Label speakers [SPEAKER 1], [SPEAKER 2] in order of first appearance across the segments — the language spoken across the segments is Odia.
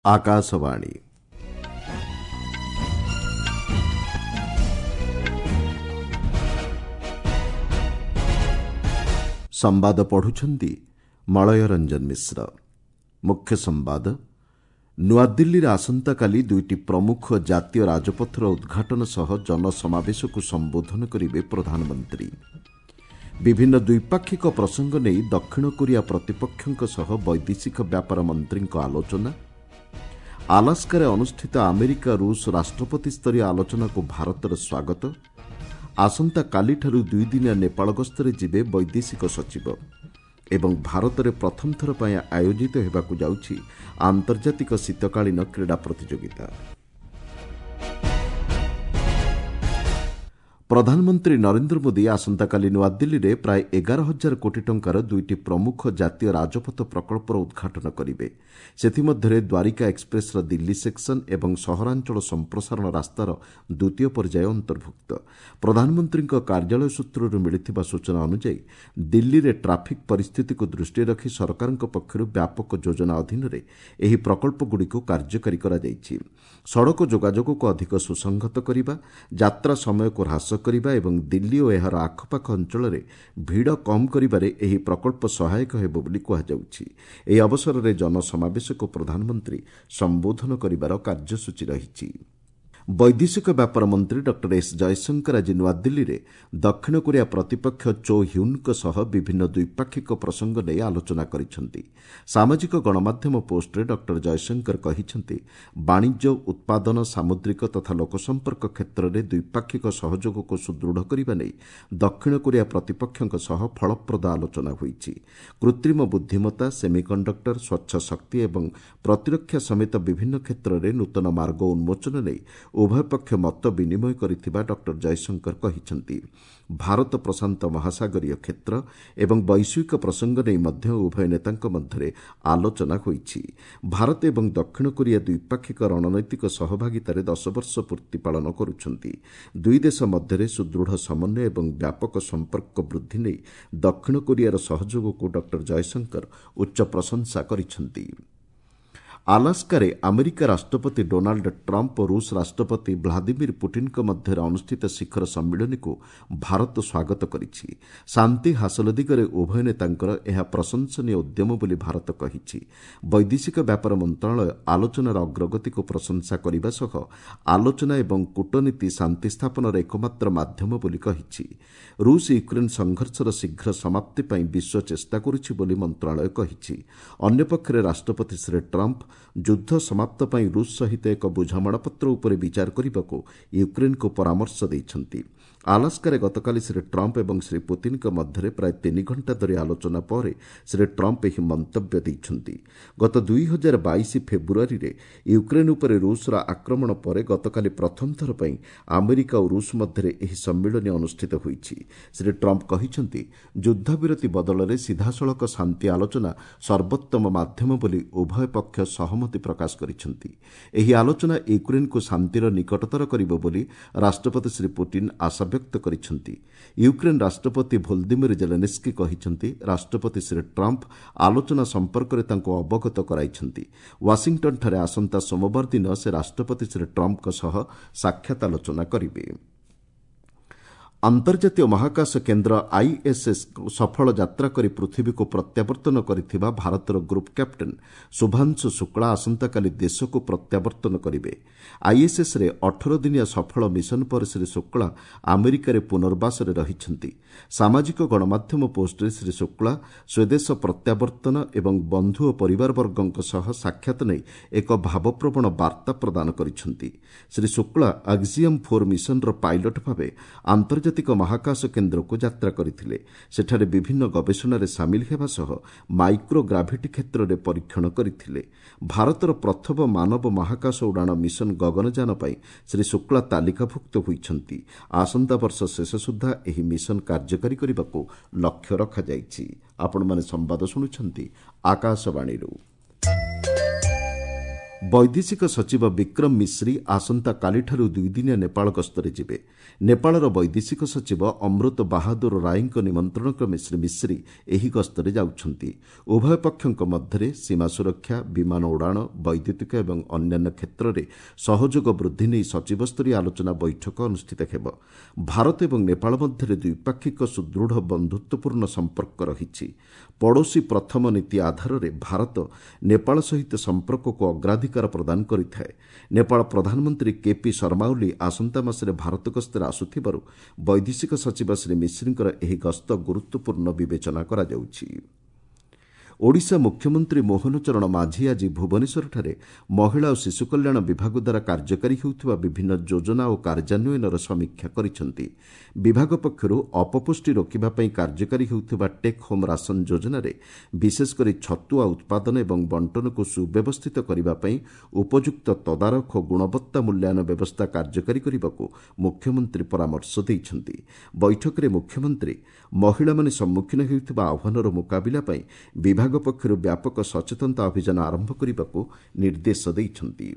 [SPEAKER 1] ଆକାଶବାଣୀ। ସମ୍ବାଦ ପଢୁଛନ୍ତି ମଳୟ ରଞ୍ଜନ ମିଶ୍ର। ମୁଖ୍ୟ ସମ୍ବାଦ। ନୂଆଦିଲ୍ଲୀରେ ଆସନ୍ତାକାଲି ଦୁଇଟି ପ୍ରମୁଖ ଜାତୀୟ ରାଜପଥର ଉଦ୍ଘାଟନ ସହ ଜନସମାବେଶକୁ ସମ୍ବୋଧନ କରିବେ ପ୍ରଧାନମନ୍ତ୍ରୀ। ବିଭିନ୍ନ ଦ୍ୱିପାକ୍ଷିକ ପ୍ରସଙ୍ଗ ନେଇ ଦକ୍ଷିଣ କୋରିଆ ପ୍ରତିପକ୍ଷଙ୍କ ସହ ବୈଦେଶିକ ବ୍ୟାପାର ମନ୍ତ୍ରୀଙ୍କ ଆଲୋଚନା। ଆଲାସ୍କାରେ ଅନୁଷ୍ଠିତ ଆମେରିକା ରୁଷ ରାଷ୍ଟ୍ରପତି ସ୍ତରୀୟ ଆଲୋଚନାକୁ ଭାରତର ସ୍ୱାଗତ। ଆସନ୍ତାକାଲିଠାରୁ ଦୁଇଦିନିଆ ନେପାଳ ଗସ୍ତରେ ଯିବେ ବୈଦେଶିକ ସଚିବ। ଏବଂ ଭାରତରେ ପ୍ରଥମ ଥର ପାଇଁ ଆୟୋଜିତ ହେବାକୁ ଯାଉଛି ଆନ୍ତର୍ଜାତିକ ଶୀତକାଳୀନ କ୍ରୀଡ଼ା ପ୍ରତିଯୋଗିତା। ପ୍ରଧାନମନ୍ତ୍ରୀ ନରେନ୍ଦ୍ର ମୋଦି ଆସନ୍ତାକାଲି ନୂଆଦିଲ୍ଲୀରେ ପ୍ରାୟ 11 ହଜାର କୋଟି ଟଙ୍କାର ଦୁଇଟି ପ୍ରମୁଖ ଜାତୀୟ ରାଜପଥ ପ୍ରକଳ୍ପର ଉଦ୍ଘାଟନ କରିବେ। ସେଥିମଧ୍ୟରେ ଦ୍ୱାରିକା ଏକ୍ସପ୍ରେସ୍ର ଦିଲ୍ଲୀ ସେକ୍ସନ୍ ଏବଂ ସହରାଞ୍ଚଳ ସମ୍ପ୍ରସାରଣ ରାସ୍ତାର ଦ୍ୱିତୀୟ ପର୍ଯ୍ୟାୟ ଅନ୍ତର୍ଭୁକ୍ତ। ପ୍ରଧାନମନ୍ତ୍ରୀଙ୍କ କାର୍ଯ୍ୟାଳୟ ସୂତ୍ରରୁ ମିଳିଥିବା ସୂଚନା ଅନୁଯାୟୀ, ଦିଲ୍ଲୀରେ ଟ୍ରାଫିକ୍ ପରିସ୍ଥିତିକୁ ଦୃଷ୍ଟିରେ ରଖି ସରକାରଙ୍କ ପକ୍ଷରୁ ବ୍ୟାପକ ଯୋଜନା ଅଧୀନରେ ଏହି ପ୍ରକଳ୍ପଗୁଡ଼ିକୁ କାର୍ଯ୍ୟକାରୀ କରାଯାଇଛି। ସଡ଼କ ଯୋଗାଯୋଗକୁ ଅଧିକ ସୁସଂହତ କରିବା, ଯାତ୍ରା ସମୟକୁ ହ୍ରାସ କରିବା ଏବଂ ଦିଲ୍ଲୀ ଓ ଏହାର ଆଖପାଖ ଅଞ୍ଚଳରେ ଭିଡ଼ କମ୍ କରିବାରେ ଏହି ପ୍ରକଳ୍ପ ସହାୟକ ହେବ ବୋଲି କୁହାଯାଉଛି। ଏହି ଅବସରରେ ଜନସମାବେଶକୁ ପ୍ରଧାନମନ୍ତ୍ରୀ ସମ୍ବୋଧନ କରିବାର କାର୍ଯ୍ୟସୂଚୀ ରହିଛି। ବୈଦେଶିକ ବ୍ୟାପାର ମନ୍ତ୍ରୀ ଡକ୍ଟର ଏସ୍ ଜୟଶଙ୍କର ଆଜି ନୂଆଦିଲ୍ଲୀରେ ଦକ୍ଷିଣ କୋରିଆ ପ୍ରତିପକ୍ଷ ଚୋ ହ୍ୟୁନ୍ଙ୍କ ସହ ବିଭିନ୍ନ ଦ୍ୱିପାକ୍ଷିକ ପ୍ରସଙ୍ଗ ନେଇ ଆଲୋଚନା କରିଛନ୍ତି। ସାମାଜିକ ଗଣମାଧ୍ୟମ ପୋଷ୍ଟରେ ଡକ୍ଟର ଜୟଶଙ୍କର କହିଛନ୍ତି, ବାଣିଜ୍ୟ, ଉତ୍ପାଦନ, ସାମୁଦ୍ରିକ ତଥା ଲୋକସମ୍ପର୍କ କ୍ଷେତ୍ରରେ ଦ୍ୱିପାକ୍ଷିକ ସହଯୋଗକୁ ସୁଦୃଢ଼ କରିବା ନେଇ ଦକ୍ଷିଣ କୋରିଆ ପ୍ରତିପକ୍ଷଙ୍କ ସହ ଫଳପ୍ରଦ ଆଲୋଚନା ହୋଇଛି। କୃତ୍ରିମ ବୁଦ୍ଧିମତ୍ତା, ସେମିକଣ୍ଡକ୍ଟର, ସ୍ୱଚ୍ଛ ଶକ୍ତି ଏବଂ ପ୍ରତିରକ୍ଷା ସମେତ ବିଭିନ୍ନ କ୍ଷେତ୍ରରେ ନୂତନ ମାର୍ଗ ଉନ୍ମୋଚନ ନେଇ ଉଭୟ ପକ୍ଷ ମତ ବିନିମୟ କରିଥିବା ଡକ୍ଟର ଜୟଶଙ୍କର କହିଛନ୍ତି। ଭାରତ ପ୍ରଶାନ୍ତ ମହାସାଗରୀୟ କ୍ଷେତ୍ର ଏବଂ ବୈଶ୍ୱିକ ପ୍ରସଙ୍ଗ ନେଇ ମଧ୍ୟ ଉଭୟ ନେତାଙ୍କ ମଧ୍ୟରେ ଆଲୋଚନା ହୋଇଛି। ଭାରତ ଏବଂ ଦକ୍ଷିଣ କୋରିଆ ଦ୍ୱିପାକ୍ଷିକ ରଣନୈତିକ ସହଭାଗିତାରେ 10 ବର୍ଷ ପୂର୍ତ୍ତି ପାଳନ କରୁଛନ୍ତି। ଦୁଇ ଦେଶ ମଧ୍ୟରେ ସୁଦୃଢ଼ ସମନ୍ୱୟ ଏବଂ ବ୍ୟାପକ ସମ୍ପର୍କ ବୃଦ୍ଧି ନେଇ ଦକ୍ଷିଣ କୋରିଆର ସହଯୋଗକୁ ଡକ୍ଟର ଜୟଶଙ୍କର ଉଚ୍ଚ ପ୍ରଶଂସା କରିଛନ୍ତି। ଆଲାସ୍କାରେ ଆମେରିକା ରାଷ୍ଟ୍ରପତି ଡୋନାଲ୍ଡ ଟ୍ରମ୍ପ୍ ଓ ରୁଷ ରାଷ୍ଟ୍ରପତି ଭ୍ଲାଦିମିର୍ ପୁଟିନ୍ଙ୍କ ମଧ୍ୟରେ ଅନୁଷ୍ଠିତ ଶିଖର ସମ୍ମିଳନୀକୁ ଭାରତ ସ୍ୱାଗତ କରିଛି। ଶାନ୍ତି ହାସଲ ଦିଗରେ ଉଭୟ ନେତାଙ୍କର ଏହା ପ୍ରଶଂସନୀୟ ଉଦ୍ୟମ ବୋଲି ଭାରତ କହିଛି। ବୈଦେଶିକ ବ୍ୟାପାର ମନ୍ତ୍ରଣାଳୟ ଆଲୋଚନାର ଅଗ୍ରଗତିକୁ ପ୍ରଶଂସା କରିବା ସହ ଆଲୋଚନା ଏବଂ କୂଟନୀତି ଶାନ୍ତି ସ୍ଥାପନର ଏକମାତ୍ର ମାଧ୍ୟମ ବୋଲି କହିଛି। ରୁଷ ୟୁକ୍ରେନ୍ ସଂଘର୍ଷର ଶୀଘ୍ର ସମାପ୍ତି ପାଇଁ ବିଶ୍ୱ ଚେଷ୍ଟା କରୁଛି ବୋଲି ମନ୍ତ୍ରଣାଳୟ କହିଛି। ଅନ୍ୟପକ୍ଷରେ ରାଷ୍ଟ୍ରପତି ଶ୍ରୀ ଟ୍ରମ୍ପ୍ ଯୁଦ୍ଧ ସମାପ୍ତ ପାଇଁ ରୁଷ ସହିତ ଏକ ବୁଝାମଣାପତ୍ର ଉପରେ ବିଚାର କରିବାକୁ ୟୁକ୍ରେନ୍କୁ ପରାମର୍ଶ ଦେଇଛନ୍ତି। ଆଲାସ୍କାରେ ଗତକାଲି ଶ୍ରୀ ଟ୍ରମ୍ପ୍ ଏବଂ ଶ୍ରୀ ପୁତିନ୍ଙ୍କ ମଧ୍ୟରେ ପ୍ରାୟ 3 ଘଣ୍ଟା ଧରି ଆଲୋଚନା ପରେ ଶ୍ରୀ ଟ୍ରମ୍ପ୍ ଏହି ମନ୍ତବ୍ୟ ଦେଇଛନ୍ତି। ଗତ 2022 ଫେବୃଆରୀରେ ୟୁକ୍ରେନ୍ ଉପରେ ରୁଷର ଆକ୍ରମଣ ପରେ ଗତକାଲି ପ୍ରଥମ ଥର ପାଇଁ ଆମେରିକା ଓ ରୁଷ ମଧ୍ୟରେ ଏହି ସମ୍ମିଳନୀ ଅନୁଷ୍ଠିତ ହୋଇଛି। ଶ୍ରୀ ଟ୍ରମ୍ପ୍ କହିଛନ୍ତି, ଯୁଦ୍ଧବିରତି ବଦଳରେ ସିଧାସଳଖ ଶାନ୍ତି ଆଲୋଚନା ସର୍ବୋତ୍ତମ ମାଧ୍ୟମ ବୋଲି ଉଭୟ ପକ୍ଷ ସହମତି ପ୍ରକାଶ କରିଛନ୍ତି। ଏହି ଆଲୋଚନା ୟୁକ୍ରେନ୍କୁ ଶାନ୍ତିର ନିକଟତର କରିବ ବୋଲି ରାଷ୍ଟ୍ରପତି ଶ୍ରୀ ପୁଟିନ୍ ଆଶାବ୍ୟକ୍ତ କରିଛନ୍ତି। ୟୁକ୍ରେନ୍ ରାଷ୍ଟ୍ରପତି ଭୋଲଦିମିର୍ ଜେଲେନ୍ସ୍କି କହିଛନ୍ତି, ରାଷ୍ଟ୍ରପତି ଶ୍ରୀ ଟ୍ରମ୍ପ୍ ଆଲୋଚନା ସମ୍ପର୍କରେ ତାଙ୍କୁ ଅବଗତ କରାଇଛନ୍ତି। ୱାଶିଂଟନ୍ଠାରେ ଆସନ୍ତା ସୋମବାର ଦିନ ସେ ରାଷ୍ଟ୍ରପତି ଶ୍ରୀ ଟ୍ରମ୍ପ୍ଙ୍କ ସହ ସାକ୍ଷାତ ଆଲୋଚନା କରିବେ। ଅନ୍ତର୍ଜାତୀୟ ମହାକାଶ କେନ୍ଦ୍ର ଆଇଏସ୍ଏସ୍ ସଫଳ ଯାତ୍ରା କରି ପୃଥିବୀକୁ ପ୍ରତ୍ୟାବର୍ତ୍ତନ କରିଥିବା ଭାରତର ଗ୍ରୁପ୍ କ୍ୟାପ୍ଟେନ୍ ଶୁଭାଂଶୁ ଶୁକ୍ଳା ଆସନ୍ତାକାଲି ଦେଶକୁ ପ୍ରତ୍ୟାବର୍ତ୍ତନ କରିବେ। ଆଇଏସ୍ଏସ୍ରେ 18 ଦିନିଆ ସଫଳ ମିଶନ ପରେ ଶ୍ରୀ ଶୁକ୍ଳା ଆମେରିକାରେ ପୁନର୍ବାସରେ ରହିଛନ୍ତି। ସାମାଜିକ ଗଣମାଧ୍ୟମ ପୋଷ୍ଟରେ ଶ୍ରୀ ଶୁକ୍ଳା ସ୍ୱଦେଶ ପ୍ରତ୍ୟାବର୍ତ୍ତନ ଏବଂ ବନ୍ଧୁ ଓ ପରିବାରବର୍ଗଙ୍କ ସହ ସାକ୍ଷାତ ନେଇ ଏକ ଭାବପ୍ରବଣ ବାର୍ତ୍ତା ପ୍ରଦାନ କରିଛନ୍ତି। ଶ୍ରୀ ଶୁକ୍ଳା ଆକ୍ସିୟମ୍ 4 ମିଶନର ପାଇଲଟ୍ ଭାବେ ଆନ୍ତର୍ଜାତିକ ମହାକାଶ କେନ୍ଦ୍ରକୁ ଯାତ୍ରା କରିଥିଲେ। ସେଠାରେ ବିଭିନ୍ନ ଗବେଷଣାରେ ସାମିଲ ହେବା ସହ ମାଇକ୍ରୋ ଗ୍ରାଭିଟି କ୍ଷେତ୍ରରେ ପରୀକ୍ଷଣ କରିଥିଲେ। ଭାରତର ପ୍ରଥମ ମାନବ ମହାକାଶ ଉଡ଼ାଣ ମିଶନ ଗଗନଯାନ ପାଇଁ ଶ୍ରୀ ଶୁକ୍ଳା ତାଲିକାଭୁକ୍ତ ହୋଇଛନ୍ତି। ଆସନ୍ତା ବର୍ଷ ଶେଷ ସୁଦ୍ଧା ଏହି ମିଶନ କାର୍ଯ୍ୟକାରୀ କରିବାକୁ ଲକ୍ଷ୍ୟ ରଖାଯାଇଛି। ଆପଣମାନେ ସମ୍ବାଦ ଶୁଣୁଛନ୍ତି ଆକାଶବାଣୀରୁ। ବୈଦେଶିକ ସଚିବ ବିକ୍ରମ ମିଶ୍ରି ଆସନ୍ତାକାଲିଠାରୁ ଦୁଇଦିନିଆ ନେପାଳ ଗସ୍ତରେ ଯିବେ। ନେପାଳର ବୈଦେଶିକ ସଚିବ ଅମୃତ ବାହାଦୁର ରାୟଙ୍କ ନିମନ୍ତ୍ରଣ କ୍ରମେ ଶ୍ରୀ ମିଶ୍ରି ଏହି ଗସ୍ତରେ ଯାଉଛନ୍ତି। ଉଭୟ ପକ୍ଷଙ୍କ ମଧ୍ୟରେ ସୀମା ସୁରକ୍ଷା, ବିମାନ ଉଡ଼ାଣ, ବୈଦ୍ୟୁତିକ ଏବଂ ଅନ୍ୟାନ୍ୟ କ୍ଷେତ୍ରରେ ସହଯୋଗ ବୃଦ୍ଧି ନେଇ ସଚିବସ୍ତରୀୟ ଆଲୋଚନା ବୈଠକ ଅନୁଷ୍ଠିତ ହେବ। ଭାରତ ଏବଂ ନେପାଳ ମଧ୍ୟରେ ଦ୍ୱିପାକ୍ଷିକ ସୁଦୃଢ଼ ବନ୍ଧୁତ୍ୱପୂର୍ଣ୍ଣ ସମ୍ପର୍କ ରହିଛି। ପଡ଼ୋଶୀ ପ୍ରଥମ ନୀତି ଆଧାରରେ ଭାରତ ନେପାଳ ସହିତ ସମ୍ପର୍କକୁ ଅଗ୍ରାଧିକାର ପ୍ରଦାନ କରିଥାଏ। ନେପାଳ ପ୍ରଧାନମନ୍ତ୍ରୀ କେପି ଶର୍ମା ଓଲି ଆସନ୍ତା ମାସରେ ଭାରତ ଗସ୍ତରେ ଆସୁଥିବାରୁ ବୈଦେଶିକ ସଚିବ ଶ୍ରୀ ମିଶ୍ରିଙ୍କର ଏହି ଗସ୍ତ ଗୁରୁତ୍ୱପୂର୍ଣ୍ଣ ବିବେଚନା କରାଯାଉଛି। ଓଡ଼ିଶା ମୁଖ୍ୟମନ୍ତ୍ରୀ ମୋହନ ଚରଣ ମାଝୀ ଆଜି ଭୁବନେଶ୍ୱରଠାରେ ମହିଳା ଓ ଶିଶୁ କଲ୍ୟାଣ ବିଭାଗ ଦ୍ୱାରା କାର୍ଯ୍ୟକାରୀ ହେଉଥିବା ବିଭିନ୍ନ ଯୋଜନା ଓ କାର୍ଯ୍ୟାନ୍ୱୟନର ସମୀକ୍ଷା କରିଛନ୍ତି। ବିଭାଗ ପକ୍ଷରୁ ଅପପୁଷ୍ଟି ରୋକିବା ପାଇଁ କାର୍ଯ୍ୟକାରୀ ହେଉଥିବା ଟେକ୍ ହୋମ୍ ରାସନ ଯୋଜନାରେ ବିଶେଷକରି ଛତୁଆ ଉତ୍ପାଦନ ଏବଂ ବଣ୍ଟନକୁ ସୁବ୍ୟବସ୍ଥିତ କରିବା ପାଇଁ ଉପଯୁକ୍ତ ତଦାରଖ ଓ ଗୁଣବତ୍ତା ମୂଲ୍ୟାୟନ ବ୍ୟବସ୍ଥା କାର୍ଯ୍ୟକାରୀ କରିବାକୁ ମୁଖ୍ୟମନ୍ତ୍ରୀ ପରାମର୍ଶ ଦେଇଛନ୍ତି। ବୈଠକରେ ମୁଖ୍ୟମନ୍ତ୍ରୀ ମହିଳାମାନେ ସମ୍ମୁଖୀନ ହେଉଥିବା ଆହ୍ୱାନର ମୁକାବିଲା ପାଇଁ ବିଭାଗ ପକ୍ଷରୁ ବ୍ୟାପକ ସଚେତନତା ଅଭିଯାନ ଆରମ୍ଭ କରିବାକୁ ନିର୍ଦ୍ଦେଶ ଦେଇଛନ୍ତି।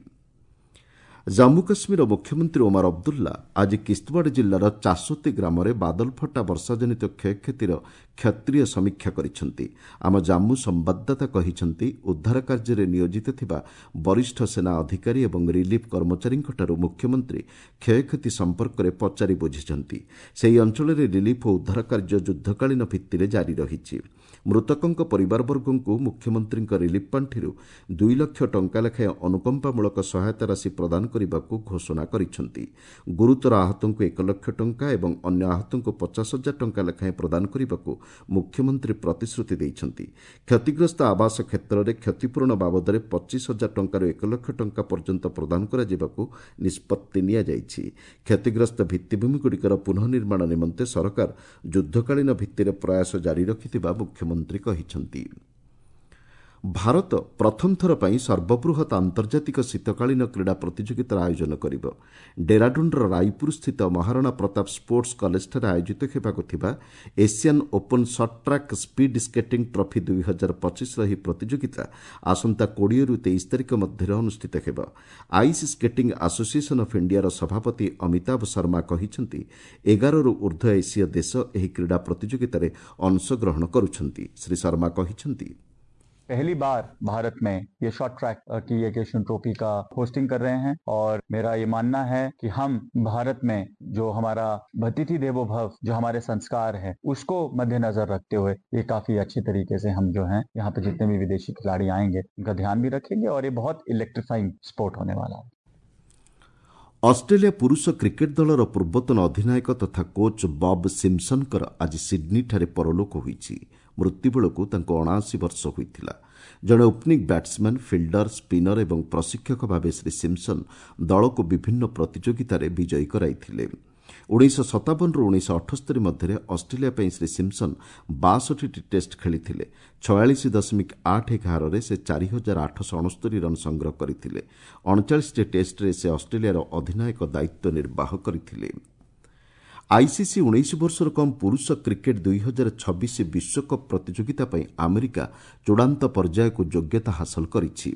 [SPEAKER 1] ଜାମ୍ମୁ କାଶ୍ମୀର ମୁଖ୍ୟମନ୍ତ୍ରୀ ଓମାର ଅବଦୁଲ୍ଲା ଆଜି କିସ୍ତୱାଡ଼ ଜିଲ୍ଲାର ଚାସୋତି ଗ୍ରାମରେ ବାଦଲଫଟା ବର୍ଷାଜନିତ କ୍ଷୟକ୍ଷତିର କ୍ଷେତ୍ରୀୟ ସମୀକ୍ଷା କରିଛନ୍ତି। ଆମ ଜାମ୍ମୁ ସମ୍ବାଦଦାତା କହିଛନ୍ତି, ଉଦ୍ଧାର କାର୍ଯ୍ୟରେ ନିୟୋଜିତ ଥିବା ବରିଷ୍ଠ ସେନା ଅଧିକାରୀ ଏବଂ ରିଲିଫ୍ କର୍ମଚାରୀଙ୍କଠାରୁ ମୁଖ୍ୟମନ୍ତ୍ରୀ କ୍ଷୟକ୍ଷତି ସମ୍ପର୍କରେ ପଚାରି ବୁଝିଛନ୍ତି। ସେହି ଅଞ୍ଚଳରେ ରିଲିଫ୍ ଓ ଉଦ୍ଧାର କାର୍ଯ୍ୟ ଯୁଦ୍ଧକାଳୀନ ଭିତ୍ତିରେ ଜାରି ରହିଛି। ମୃତକଙ୍କ ପରିବାରବର୍ଗଙ୍କୁ ମୁଖ୍ୟମନ୍ତ୍ରୀଙ୍କ ରିଲିଫ୍ ପାଣ୍ଠିରୁ 2 ଲକ୍ଷ ଟଙ୍କା ଲେଖାଏଁ ଅନୁକମ୍ପାମୂଳକ ସହାୟତା ରାଶି ପ୍ରଦାନ କରିବାକୁ ଘୋଷଣା କରିଛନ୍ତି। ଗୁରୁତର ଆହତଙ୍କୁ 1 ଲକ୍ଷ ଟଙ୍କା ଏବଂ ଅନ୍ୟ ଆହତଙ୍କୁ 50,000 ଟଙ୍କା ଲେଖାଏଁ ପ୍ରଦାନ କରିବାକୁ ମୁଖ୍ୟମନ୍ତ୍ରୀ ପ୍ରତିଶ୍ରୁତି ଦେଇଛନ୍ତି। କ୍ଷତିଗ୍ରସ୍ତ ଆବାସ କ୍ଷେତ୍ରରେ କ୍ଷତିପୂରଣ ବାବଦରେ 25,000 ଟଙ୍କାରୁ 1 ଲକ୍ଷ ଟଙ୍କା ପର୍ଯ୍ୟନ୍ତ ପ୍ରଦାନ କରାଯିବାକୁ ନିଷ୍ପତ୍ତି ନିଆଯାଇଛି। କ୍ଷତିଗ୍ରସ୍ତ ଭିତ୍ତିଭୂମିଗୁଡ଼ିକର ପୁନଃନିର୍ମାଣ ନିମନ୍ତେ ସରକାର ଯୁଦ୍ଧକାଳୀନ ଭିତ୍ତିରେ ପ୍ରୟାସ ଜାରି ରଖିଥିବା ମୁଖ୍ୟମନ୍ତ୍ରୀ କହିଛନ୍ତି। ଭାରତ ପ୍ରଥମ ଥର ପାଇଁ ସର୍ବବୃହତ୍ ଆନ୍ତର୍ଜାତିକ ଶୀତକାଳୀନ କ୍ରୀଡ଼ା ପ୍ରତିଯୋଗିତାର ଆୟୋଜନ କରିବ। ଡେରାଡୁନ୍ର ରାୟପୁରସ୍ଥିତ ମହାରାଣା ପ୍ରତାପ ସ୍ପୋର୍ଟସ୍ କଲେଜଠାରେ ଆୟୋଜିତ ହେବାକୁ ଥିବା Asian open short track speed skating trophy 2025ର ଏହି ପ୍ରତିଯୋଗିତା ଆସନ୍ତା 20ରୁ 23 ତାରିଖ ମଧ୍ୟରେ ଅନୁଷ୍ଠିତ ହେବ। ଆଇସ୍ ସ୍କେଟିଂ ଆସୋସିଏସନ୍ ଅଫ୍ ଇଣ୍ଡିଆର ସଭାପତି ଅମିତାଭ ଶର୍ମା କହିଛନ୍ତି, 11ରୁ ଉର୍ଦ୍ଧ୍ୱ ଏସୀୟ ଦେଶ ଏହି କ୍ରୀଡ଼ା ପ୍ରତିଯୋଗିତାରେ ଅଂଶଗ୍ରହଣ କରୁଛନ୍ତି। ଶ୍ରୀ ଶର୍ମା କହିଛନ୍ତି,
[SPEAKER 2] पहली बार भारत में ये शॉर्ट ट्रैक की एक एशियन ट्रॉफी का होस्टिंग कर रहे हैं और मेरा ये मानना है कि हम भारत में जो हमारा अतिथि देवो भव, जो हमारे संस्कार है, उसको मद्देनजर रखते हुए ये काफी अच्छे तरीके से हम जो हैं यहाँ पे जितने भी विदेशी खिलाड़ी आएंगे उनका ध्यान भी रखेंगे और ये बहुत इलेक्ट्रीफाइंग स्पोर्ट होने वाला है।
[SPEAKER 1] ଅଷ୍ଟ୍ରେଲିଆ ପୁରୁଷ କ୍ରିକେଟ୍ ଦଳର ପୂର୍ବତନ ଅଧିନାୟକ ତଥା କୋଚ୍ ବବ୍ ସିମ୍ପସନ୍ଙ୍କର ଆଜି ସିଡ୍ନୀଠାରେ ପରଲୋକ ହୋଇଛି। ମୃତ୍ୟୁ ବେଳକୁ ତାଙ୍କୁ 79 ବର୍ଷ ହୋଇଥିଲା। ଜଣେ ଓପନିଂ ବ୍ୟାଟ୍ସମ୍ୟାନ୍, ଫିଲ୍ଡର, ସ୍ପିନର ଏବଂ ପ୍ରଶିକ୍ଷକ ଭାବେ ଶ୍ରୀ ସିମ୍ପସନ୍ ଦଳକୁ ବିଭିନ୍ନ ପ୍ରତିଯୋଗିତାରେ ବିଜୟୀ କରାଇଥିଲେ। 1957ରୁ 1978 ମଧ୍ୟରେ ଅଷ୍ଟ୍ରେଲିଆ ପାଇଁ ଶ୍ରୀ ସିମ୍ପସନ୍ 62ଟି ଟେଷ୍ଟ ଖେଳିଥିଲେ। 46.81 ହାରରେ ସେ 4869 ରନ୍ ସଂଗ୍ରହ କରିଥିଲେ। 39ଟି ଟେଷ୍ଟରେ ସେ ଅଷ୍ଟ୍ରେଲିଆର ଅଧିନାୟକ ଦାୟିତ୍ୱ ନିର୍ବାହ କରିଥିଲେ। ଆଇସିସି 19 ବର୍ଷରୁ କମ୍ ପୁରୁଷ କ୍ରିକେଟ୍ 2026 ବିଶ୍ୱକପ୍ ପ୍ରତିଯୋଗିତା ପାଇଁ ଆମେରିକା ଚୂଡ଼ାନ୍ତ ପର୍ଯ୍ୟାୟକୁ ଯୋଗ୍ୟତା ହାସଲ କରିଛି।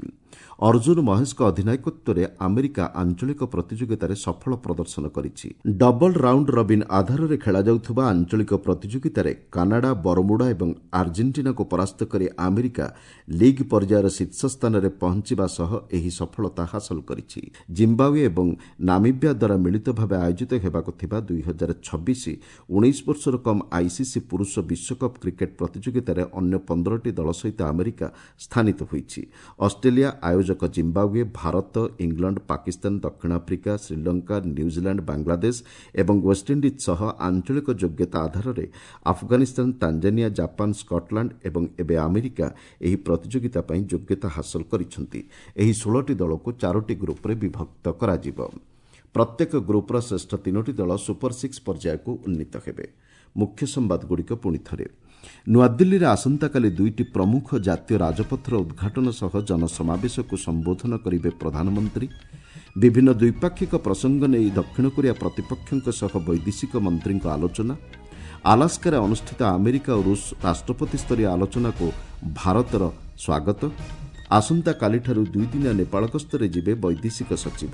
[SPEAKER 1] ଅର୍ଜୁନ ମହେଶଙ୍କ ଅଧିନାୟକତ୍ୱରେ ଆମେରିକା ଆଞ୍ଚଳିକ ପ୍ରତିଯୋଗିତାରେ ସଫଳ ପ୍ରଦର୍ଶନ କରିଛି। ଡବଲ ରାଉଣ୍ଡ ରବିନ୍ ଆଧାରରେ ଖେଳାଯାଉଥିବା ଆଞ୍ଚଳିକ ପ୍ରତିଯୋଗିତାରେ କାନାଡା, ବରମୁଡା ଏବଂ ଆର୍ଜେଣ୍ଟିନାକୁ ପରାସ୍ତ କରି ଆମେରିକା ଲିଗ୍ ପର୍ଯ୍ୟାୟର ଶୀର୍ଷ ସ୍ଥାନରେ ପହଞ୍ଚିବା ସହ ଏହି ସଫଳତା ହାସଲ କରିଛି। ଜିମ୍ବାୱେ ଏବଂ ନାମିବିଆ ଦ୍ୱାରା ମିଳିତ ଭାବେ ଆୟୋଜିତ ହେବାକୁ ଥିବା 2026 19 ବର୍ଷରୁ କମ୍ ଆଇସିସି ପୁରୁଷ ବିଶ୍ୱକପ୍ କ୍ରିକେଟ୍ ପ୍ରତିଯୋଗିତାରେ ଅନ୍ୟ 15ଟି ଦଳ ସହିତ ଆମେରିକା ସ୍ଥାନିତ ହୋଇଛି। ଅଷ୍ଟ୍ରେଲିଆ, ଆୟୋଜକ ଜିମ୍ବାୱେ, ଭାରତ, ଇଂଲଣ୍ଡ, ପାକିସ୍ତାନ, ଦକ୍ଷିଣ ଆଫ୍ରିକା, ଶ୍ରୀଲଙ୍କା, ନ୍ୟୁଜିଲାଣ୍ଡ, ବାଂଲାଦେଶ ଏବଂ ୱେଷ୍ଟଇଣ୍ଡିଜ୍ ସହ ଆଞ୍ଚଳିକ ଯୋଗ୍ୟତା ଆଧାରରେ ଆଫଗାନିସ୍ତାନ, ତାଞ୍ଜାନିଆ, ଜାପାନ, ସ୍କଟଲାଣ୍ଡ ଏବଂ ଏବେ ଆମେରିକା ଏହି ପ୍ରତିଯୋଗିତା ପାଇଁ ଯୋଗ୍ୟତା ହାସଲ କରିଛନ୍ତି। ଏହି 16ଟି ଦଳକୁ 4ଟି ଗ୍ରୁପ୍ରେ ବିଭକ୍ତ କରାଯିବ। ପ୍ରତ୍ୟେକ ଗ୍ରୁପ୍ର ଶ୍ରେଷ୍ଠ 3ଟି ଦଳ ସୁପର ସିକ୍ସ ପର୍ଯ୍ୟାୟକୁ ଉନ୍ନୀତ ହେବେ। ମୁଖ୍ୟ ସମ୍ବାଦଗୁଡ଼ିକ ପୁଣି ଥରେ। ନୂଆଦିଲ୍ଲୀରେ ଆସନ୍ତାକାଲି 2ଟି ପ୍ରମୁଖ ଜାତୀୟ ରାଜପଥର ଉଦ୍ଘାଟନ ସହ ଜନସମାବେଶକୁ ସମ୍ବୋଧନ କରିବେ ପ୍ରଧାନମନ୍ତ୍ରୀ। ବିଭିନ୍ନ ଦ୍ୱିପାକ୍ଷିକ ପ୍ରସଙ୍ଗ ନେଇ ଦକ୍ଷିଣ କୋରିଆ ପ୍ରତିପକ୍ଷଙ୍କ ସହ ବୈଦେଶିକ ମନ୍ତ୍ରୀଙ୍କ ଆଲୋଚନା। ଆଲାସ୍କାରେ ଅନୁଷ୍ଠିତ ଆମେରିକା ଓ ରୁଷ ରାଷ୍ଟ୍ରପତି ସ୍ତରୀୟ ଆଲୋଚନାକୁ ଭାରତର ସ୍ୱାଗତ। ଆସନ୍ତାକାଲିଠାରୁ ଦୁଇଦିନିଆ ନେପାଳ ଗସ୍ତରେ ଯିବେ ବୈଦେଶିକ ସଚିବ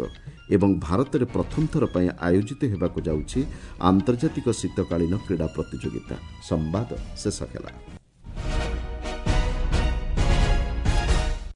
[SPEAKER 1] ଏବଂ ଭାରତରେ ପ୍ରଥମ ଥର ପାଇଁ ଆୟୋଜିତ ହେବାକୁ ଯାଉଛି ଆନ୍ତର୍ଜାତିକ ଶୀତକାଳୀନ କ୍ରୀଡ଼ା ପ୍ରତିଯୋଗିତା। ସମ୍ବାଦ ଶେଷ ହେଲା।